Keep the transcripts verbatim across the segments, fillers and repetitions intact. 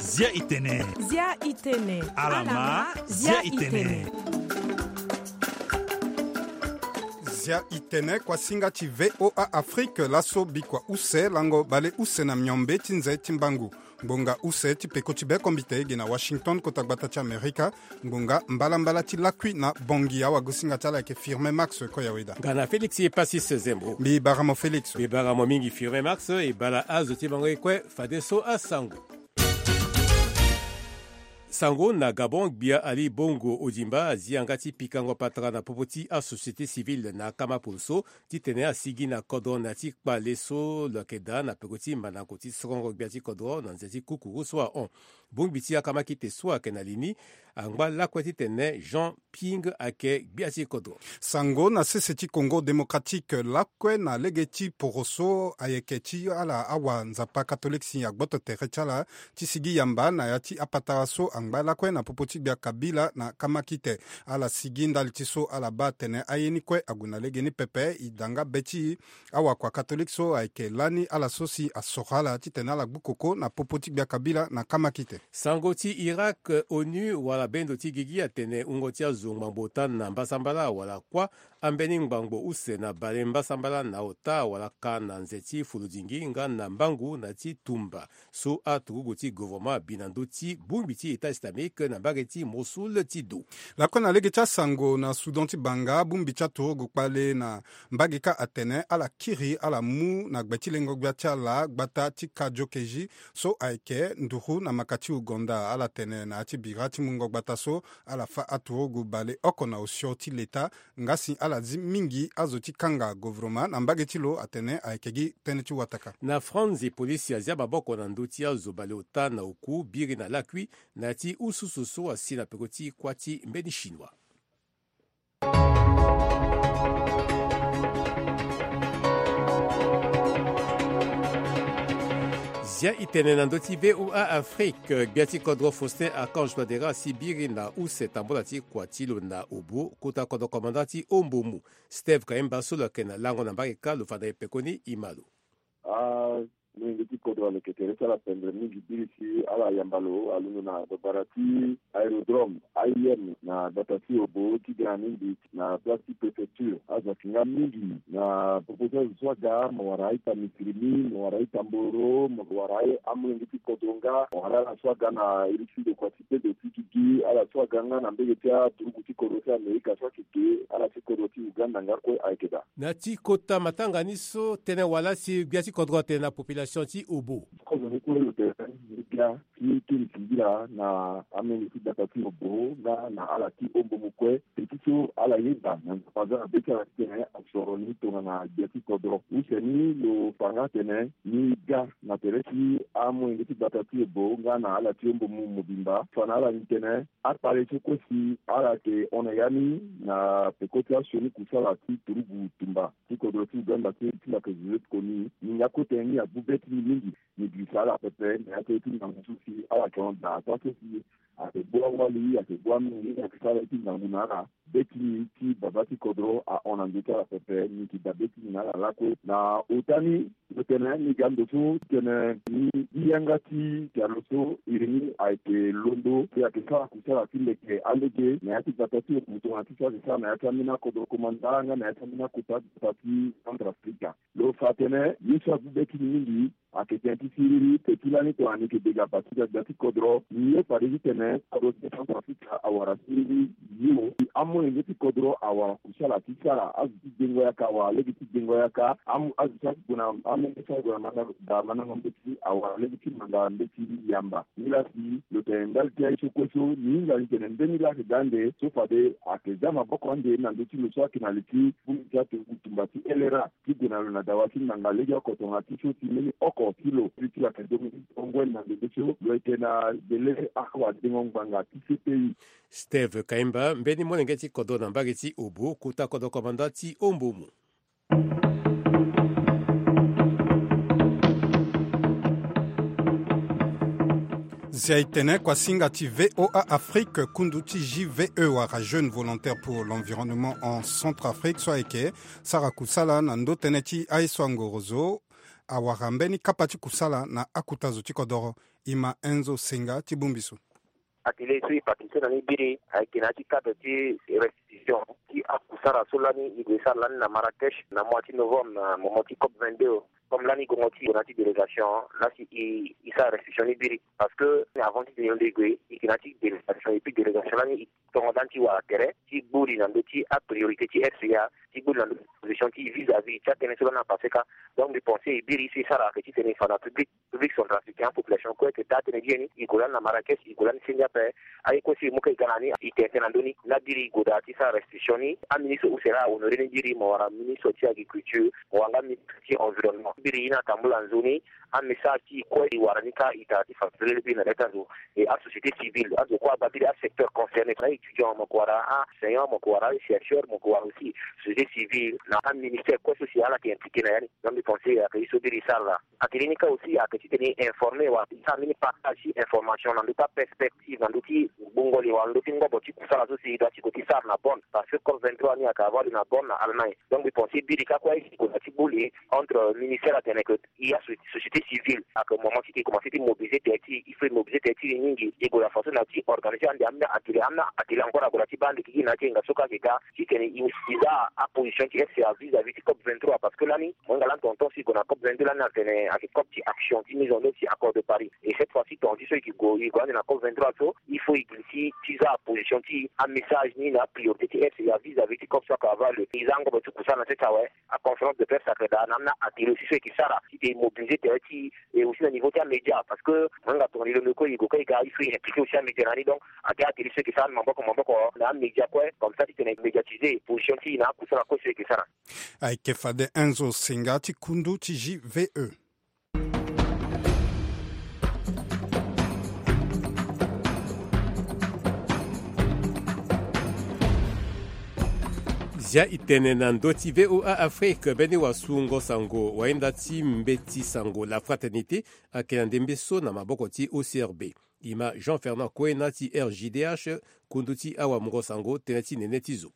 Zia itene. Zia itene. Alama. Zia itene. Zia itene, kuasinga ti V O A Afrique, laso bikua use lango bale use na miombe ti nze ti mbangu. Ngbonga use ti peko ti be kombite ege na Washington, kota gbata ti Amerika. Ngbonga mbalambala ti lakui na Bongi, awagosinga ti ala ayeke Firmin Max Koyaweda. Nga na Félix Epasis Zembo. Mbi bara mo Félix. Mbi bara mo mingi Firmin Max, e bara azo ti bango ye kue fadeso asango. Sango na Gabon, gbia Ali Bongo Ondimba azi yanga ti pikango patara na popo ti asociété civile na akama poroso titene asigi na kodro na ya ti kpale so lo yeke daa na peko ti mandango ti sorongo gbia ti kodro na nze ti kukuru so ahon. Bongbi ti akama kite so ayeke na li ni angba lakue titene Jean Ping ayeke gbia ti kodro. Sango na sese ti Congo Démocratique, lakue na lege ti poroso ayeke ti ala awa Nzapa Katolek si agboto tere ti ala ti sigi yamba na ya ti apatara so angba lakue na popo ti gbia Kabila na akama kite. Ala sigi ndali ti so ala baa atene aye ni kue ague na lege ni pepe, e daa nga be ti awakua Katolek so ayeke lani ala so si asoro ala titene ala gbu koko na popo ti gbia Kabila na akama kite. Sango ti Irak, onu wala bendo ti gigi atene wungo ti azo ngbangbo ota na mbasambala wala kuâ ambeni ngbangbo use na bale mbasambala na ota wala ka na nze ti folodingi nga na mbangu na ti tumba so aturugu ti gouvernement abi na ndö ti bongbi ti État islamique na mbage ti Mossoul ti do. Lakue na lege ti asango na Soudan ti banga, bongbi ti aturugu kpale na mbage kâ atene ala kiri ala mu na gbe ti lengo gbia ti ala gbata ti Kajokeji so ayeke nduru na maka ti Ouganda. Ala tene na ya ti bira ti mungo gbata so ala fâ aturugu bale oko na osio ti leta. Nga si ala zi mingi azo ti kanga gouvernement na mbage ti lo atene ayeke gi tënë ti wataka. Na France, polisi azia maboko na ndö ti azo baleota na oku biri na lakui na ya ti ususu so asi na peko ti kuâ ti mbeni chinois. Zia itene na ndö ti V O A Afrique, gbia ti kodro Faustin Archange Touadéra asi biri na use tambola ti kua ti lo na Obo, kota kodro commandant ti Ombomu. Steve Kaimba so lo yeke na lango na mbage kâ lo fa na e pekoni e ma lo. Amolenge ti kodro aleke tere ti ala pendre mingi biri si ala yamba lo alondo na babara ti aérodrome A I M na gbata ti Obo ti ga na ni mbi na place ti préfecture. Azo ayeke nga mingi na popo ti azo so aga, mo wara a-ita misiri ni, mo wara a-ita mboro, mo wara amolenge ti kodro nga, mo wara ala so aga na iri ti ndokua ti bendo ti gigi, ala so aga nga na mbege ti aturugu ti kodro ti Amerika so ayeke ge, ala ti kodro ti Uganda nga kue ayeke daa. Na ti kota matanga ni so tënë wala si gbia ti kodro atene na population ti Obo. Kodro ni kue lo tene ni gbia ti kiri singila na amolenge ti gbata ti Obo nga na ala ti Ombomu kue. Pe ti so ala yeda na Nzapa aza na be ti ala titene asoro ni tongana gbia ti kodro. Use ni lo fa nga atene ni ga na tere ti amolenge ti gbata ti Obo nga na ala ti Ombomu mobimba. Fa na ala ni tene akpale so kue si ala yeke hon na ya ni na peko ti asioni kusala ti turugu tumba ti kodro ti Uganda ti, ti lo yeke zo ti koni ni nga kue tene ni agbu be ti ni mingi. Ni girisa ala pepe na ya ti aye ti ngangu so si ala yeke hon daa. Ataa so si ayeke gbu awali, ayeke gbu amenge, ayeke sara aye ti ngangu na ala. Be ti ni ti baba ti kodro ahon na ndö ti ala pepe. Ni yeke daa be ti ni na ala lakue. Na ota ni, lo tene ni ga ndo so tene ni gi yanga ti pialo so iri ni ayeke londo, si ayeke sara kusala ti leke alege na ya ti gbata ti Obo tongana ti so ayeke sara na ya ti ambeni akodro komanda nga na ya ti ambeni akota gbata ti Centrafrique. Lo fa atene ye so agbu be ti ni mingi ayeke tënë ti siriri. Pe ti lani tongana ni yeke bega bati gbagba ti kodro, ni ye fade titene kodro ti Centrafrique awara siriri. Yo, amolenge ti kodro awara kusala ti sara. Azo ti dengo yaka awara lege ti dengo yaka. Am-, azo ti ague na amolenge ti ague na manda, daa mandango mbeti awara lege ti manda mbeti yamba. Nilaa si lo tene ndali ti aye so kue so ni hinga ni tene mbeni laa ayeke daa ande so fade ayeke za maboko ande na ndö ti lo so ayeke na li ti bongbi ti aturugu tumba ti L R A ti gue na lo na dawa ti ngbanga legeoko tongana ti so ti mbeni oko ti lo. Ti lo ayeke dongo ngoi na ndembe so lo yeke na bele awadengo ngbanga ti C P I. Steve Kaimba, mbeni molenge ti kodro na mbage ti Obo, kota kodro komanda ti Ombomu. Zia e tene kuasinga ti V O A Afrique, kundu ti J V E wala Jeune Volontaire pour l'Environnement en Centrafrique so ayeke sara kusala na ndö tënë ti aye so angorozo. awara mbeni kapa ti kusala na akuta zo ti kodoro. Ima Enzo Senga ti bongbi so. Atelier so e participer na ni biri ayeke na ya ti cadre ti restitution ti akusara so lani e gue sara lani na Marrakech na mois ti novembre na moment ti cop vingt-deux. Comme lani gongo ti e gue na ya ti délégation la si e e sara restitution ni biri parce que avant ti tene e gue e gue e gue na ya ti délégation et puis délégation lani e tongo lani ti wara tere ti gbuli na ndö ti apriorité ti F C A ti gbuli na ndö ti position ti vis-à-vis ti atënë so lani apassé ka. Donc mbi pense e biri so e sara ayeke ti tene e fa na public public centrafricain, population kue eke daa tënë gi ye ni. E gue lani na Marrakech, e gue lani senge ape. Aye kue so e mu ka e ga na ni e tene tënë na ndö ni. Laa biri e gue daa ti sara restitution ni. Aministre use laa ahonoré ni biri, mo wara ministre ti agriculture, mo wara nga ministre ti environnement. Biri e na tambula nzoni amessage ti e kue e wara ni ka e tara ti fa pelele biri na leta zo. E asociété civile azo kue abaa biri, asecteur concerné na étudiant, mo yeke wara aenseignant, mo yeke wara achercheur, mo yeke wara aussi société civile na aministère kue so si ala yeke impliqué na ya ni. Donc mbi pense ayeke ye so biri e sara laa. Atelier ni ka aussi ayeke ti tene e informer wala ti sara mbeni partage ti information na ndö ti aperspective na ndö ti gbungo li wala ndö ti ngobo ti kusala so si e doit ti gue ti sara na Bonn parce que cop vingt-trois ni ayeke avoir lieu na Bonn na Allemagne. Donc mbi pense biri ka kue e si gue na ti gbuli entre ministère atene que e asociété civile ayeke moment ti e commencé ti mobiliser tere ti e, il faut e mobiliser tere ti e mingi. E gue na façon na ti organiser ande ambeni atelier, ambeni atelier encore ague na ti baa ande gigi na ya ti e nga so ka ayeke ga ti tene e za aposition ti F C A vis-à-vis ti cop vingt-trois parce que lani mo hinga lani tonton si e gue na cop vingt-deux lani atene ayeke cop ti action ti mise en œuvre ti accord de Paris. Et cette fois ci tonga ti so e ke gue e gue ande na cop vingt-trois so il faut e glisser ti za aposition ti amessage ni na apriorité ti F C A vis-à-vis ti cop so ayeke avoir lieu. E za ngobo ti kusala na sese awe. Aconférence de presse ayeke daa na ambeni atelier aussi so e ke sara ti tene e mobiliser tere ti e aussi na niveau ti amédia parce que mo hinga tongana e londo kue e gue kue e ga il faut e impliquer aussi amédia na ni. Donc ayeke atelier so e ke sara ni maboko maboko na amédia kue comme ça ti tene e médiatiser position ti e na akusala kue so e ke sara. Ayeke fade Enzo Senga ti kundu ti J V E. Zia e tene na ndö ti V O A Afrique, mbeni wasungo sango wahinda ti mbeti sango La Fraternité ayeke na ndembe so na maboko ti O C R B. Ima Jean Fernand Koena ti R J D H, kundu ti awamungo sango, tënë ti nene ti zo.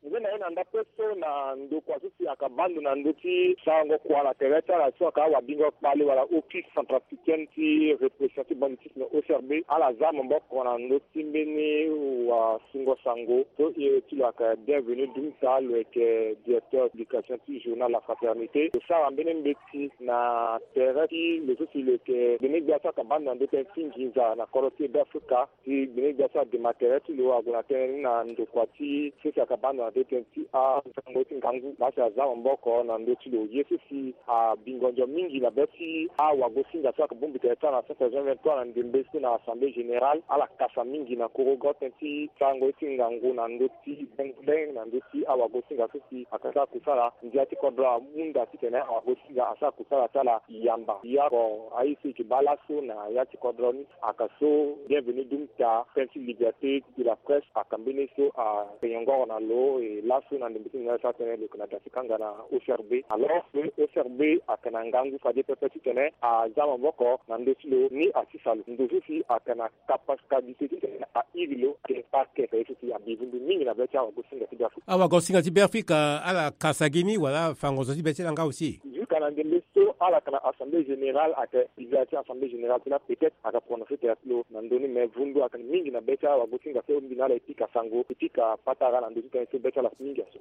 Nze na ye na ndapre so na ndokua so si ayeke baa ndo na ndö ti sarango kua na tere ti ala so ayeke awabingo kpale wala Office centrafricaine ti répression ti banditisme, O C R B, ala za maboko na ndö ti mbeni wasungo sango so e ti lo ayeke Bienvenu Dumta, lo yeke directeur publication ti journal La Fraternité. Lo sara mbeni mbeti na tere ti lo so si lo yeke gbene gbia so ayeke baa ndo na ndö tënë ti nginza na kodro ti Beafrika. Ti gbene gbia so adema tere ti lo ague na tënë ni na ndokua ti so si ayeke baa ndo na ndö tënë ti asango ti ngangu laa si aza maboko na ndö ti lo. Ye so si abingo ndio mingi na be ti awagosinga so ayeke bongbi tere ti ala na centre vingt vingt-trois na ndembe so na assemblée générale, ala kasa mingi na korogo tënë ti sarango ye ti ngangu na ndö ti benguleng na ndö ti awagosinga so si ayeke sara kusala. Ndia ti kodro amu nda titene awagosinga asara kusala ti ala yamba. Ya oko aye so e yeke baa laso na ya ti kodro ni, ayeke so Bienvenu Dumta, tënë ti liberté de la presse, ayeke mbeni so ayeke nyongoro na lo. E laso na ndembe ti nzoni ala sara tënë lo yeke na da ti kanga na O C R B. Alors que O C R B ayeke na ngangu fade pepe titene aza maboko na ndö ti lo ni asisa lo. Ndo so si ayeke na capacité ti tene airi lo ayeke parquet, ayeke ye so si abivundu mingi na be ti awagosinga ti Beafrika. Awagosinga ti Beafrika ala kasa gi ni wala afa ngonzo ti be ti ala nga aussi? Jusqu'à na ndembe so ala yeke na assemblée générale, ayeke président ti assemblée générale ti la, peut-être ayeke prononcer tere ti lo na ndö ni, mais vundu ayeke mingi na be ti awagosinga so mbi na ala e pika sango, e pika patara na ndö ti tënë so be ti ala mingi aso.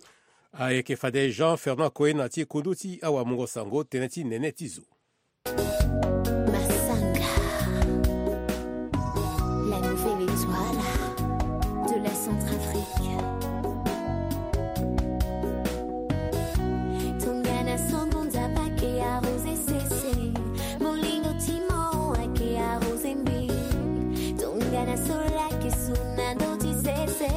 Ayeke fade Jean Fernand Koena ti kundu ti awamungo sango, tënë ti nene ti zo. Massanga, la nouvelle étoile de la Centrafrique. Tongana sombo nzapa ke arrosé sese, molingo ti mo ake arrosé mbi. Tongana sola ke suna ndo ti sese,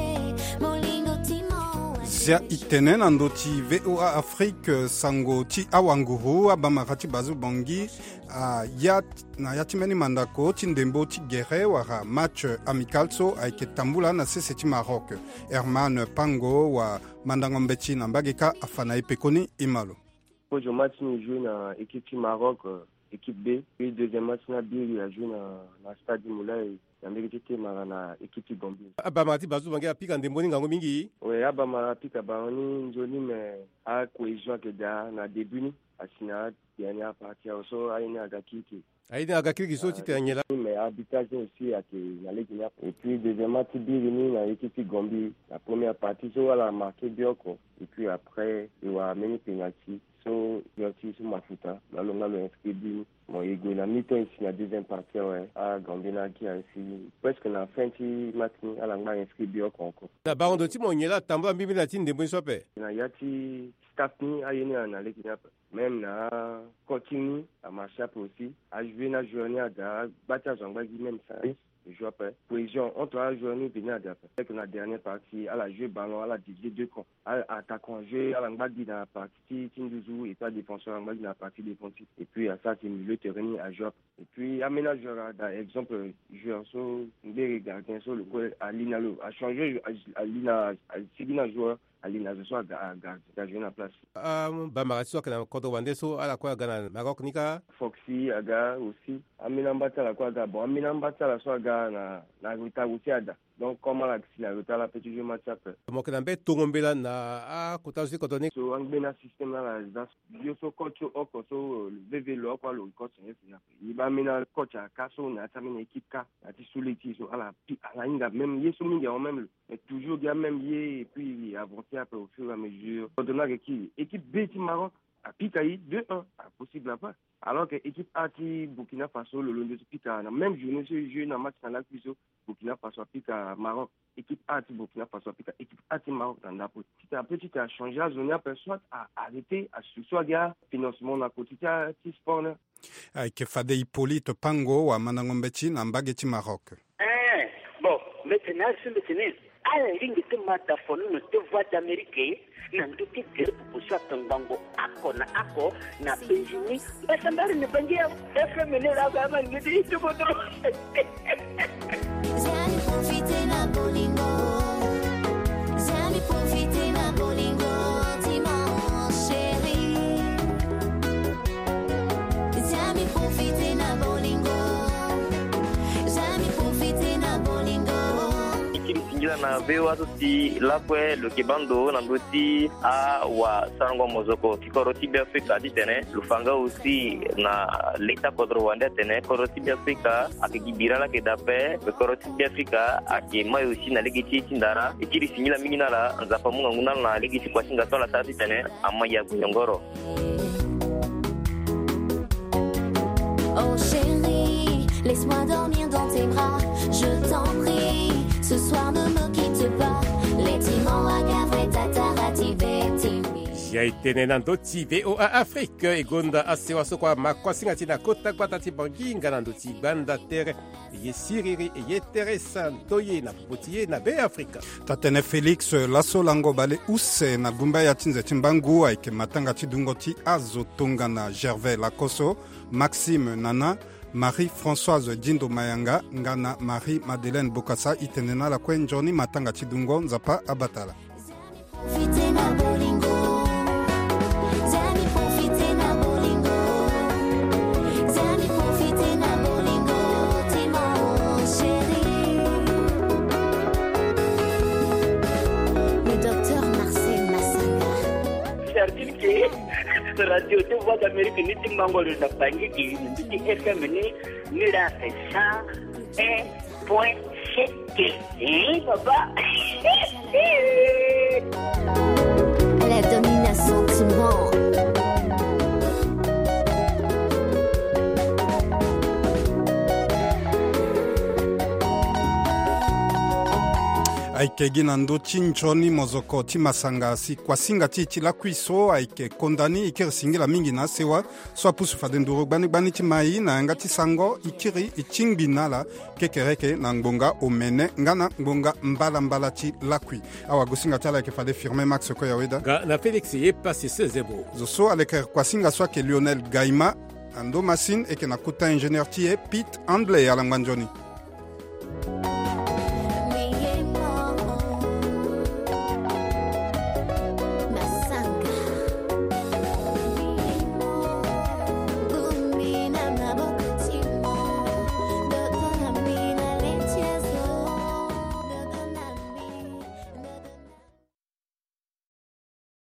molingo ti mo ake. Zia e tene na ndö ti V O A Afrique, sango ti awanguru, abamara ti Bazu Bongi, a ya na ya ti mbeni mandako ti ndembo ti gere wala match amical so ayeke tambula na sese ti Maroc. Herman Pango wa mandango mbeti na mbage ka afa na e pekoni, e ma lo. Kozo match ni e joue na équipe ti Maroc, euh, équipe B. Puis deuxième match ni abiri a joue na, na stade Moulay. na ndege ti te mara na équipe ti Gambie. Abamara ti Bazou Bangui apika ndembo ni ngangu mingi. Oui, abamara apika bango ni nzoni, mais acohésion ayeke daa na début ni, asi na dernière partie awe so aye ni aga kirikiri. Aye ni aga kirikiri so ti tene nyen laa? Mais arbitrage ni aussi ayeke na lege ni ape. Et puis deuxièmement ti biri ni na équipe ti Gambie, na première partie so ala marqué but oko. Et puis après e wara mbeni penalty so, penalty so mafuta na lo nga lo inscrit but ni. Bon, e gue na mi-temps, e si na deuxième partie awe, a Gambie ni agia ainsi presque na fin ti match ni, ala ngba inscrit but oko encore. Na bango ndo ti mo nyen laa atambula mbirimbiri na ti ndembo ni so ape? Na ya ti staff ni aye ni na lege ni ape. Même na coaching ni amarché ape aussi. Ajoué na joueur ni aga, agba ti azo angba gi même service. Joue ape. Cohésion entre ajoueur ni veni aga ape. Avec na dernière partie, ala joué ballon, ala divisé deux camps. Ala attaquant ajoué, ala ngba gi na partie ti, ti nduzu, et puis adéfenseur ala ngba gi na partie défensive. Et puis asara si milieu terrain ni ajoué ape. Et puis amena joueur ada, exemple joueur so ngbere gardien so lo kue ali na lo achangé, ali na, asigi na joueur ali na zo so aga, aga, aga joué na place. Ah, bamara ti so ayeke na kodro wande so ala kue aga na Maroc ni kâ? Foxy aga aussi. Ambeni amba ti ala kue aga. Bon, ambeni amba ti ala so aga na, na retard aussi ada. Donc comme ala si na retard, ala peut ti joué match ape. Mo yeke na mbeni tongo mbela na akota zo ti kodro ni? So angbeni asystème ni ala za so, yo so coach so oko so, euh, veve lo oko alo coach na ye si na ape. Ye baa ambeni acoach aga kâ so na ya ti ambeni équipe kâ na ya ti sous-ligue ti e so ala pi, ala hinga même ye so mingi awe même lo. Mais toujours gi amême ye et puis avancer ape au fur et à mesure. Kodro ni ayeke kiri équipe B ti Maroc, apika e deux un, apossible ape. Alors que équipe A ti Burkina Faso lo londo ti pika na même journée so e joué na match na lakui so, Burkina Faso apika Maroc. Équipe A ti Burkina Faso apika équipe A ti Maroc na ndapo. Ti tene ape ti tene achangé azo ni ape, soit a arrêté asu so agi afinancement na côté ti, ti sport ni. Ayeke fade Hippolyte Pango, wamandango mbeti na mbage ti Maroc. Eh, bon, mbi tene azo so mbi tene ala lingbi ti ma da fonono ti Voix d'Amérique na ndö ti gere popo so atongbango oko na oko na Benjini. Mbasambara na Bangi FM ni laa, ama ndö ti kodro. Zia mi profiter na bolingo. Zia mi profiter na bolingo, dis-moi, chérie. Zia mi profiter na bolingo. Zia mi profiter na bolingo. E kiri singila na V O A so si lakue lo yeke baa ndo na ndö ti awasarango mozoko ti kodro ti Beafrika titene lo fa nga aussi na leta kodro wande atene kodro ti Beafrika ayeke gi bira laa ayeke daa ape. Kodro ti Beafrika ayeke mai aussi na lege ti e ti ndara. E kiri singila mingi na ala, Nzapa amu ngangu na ala na lege ti kuasinga so ala sara titene ama ya guyongoro. Oh chérie, laisse-moi dormir dans tes bras, je t'en prie. Ce soir ne me quitte pas. Letimo wagavre tatarati vetimi. Ya e tene na ndö ti V O A Afrique, e gonda asewa so kua ma kuasinga ti e na kota gbata ti Bangi nga na ndö ti gbanda tere. E ye siriri, e ye tere santo ye na popo ti e na Beafrika. Taa-tënë Félix, laso lango bale use na gumba ya ti nze ti mbangu ayeke matanga ti dungo ti azo tongana Gervais Lakoso, Maxime Nana, Marie-Françoise Dindo Mayanga nga na Marie-Madeleine Bokassa. E tene na ala kue nzoni matanga ti dungo, Nzapa abata ala. Profiter na bolingo. Zia mi profiter na bolingo. Zia mi profiter na bolingo, dis-moi, chérie. Le docteur Marcel Massanga. Sardine ke radio ti Voix d'Amérique ni ti mango lo na Bangi, gi ni ti F M ni, ni la cent un point sept. Eh, papa. La domination, tu mens. Ayeke gi na ndö ti nzoni mozoko ti masanga si kuasinga ti e ti lakui so ayeke konda ni. E kiri singila mingi na asewa so apusu fade nduru gbani gbani ti mai na yanga ti sango. E kiri e tingbi na ala kekereke na ngbonga omene nga na ngbonga mbalambala ti lakui. Awagosinga ti ala ayeke fade Firmin Max Koyaweda nga na Félix Yepasese Zebo. Zo so aleke kuasinga so ayeke Lionel Gaima. Ando Massine, e yeke na kota ingénieur ti e Pete Handley. Ala ngba nzoni.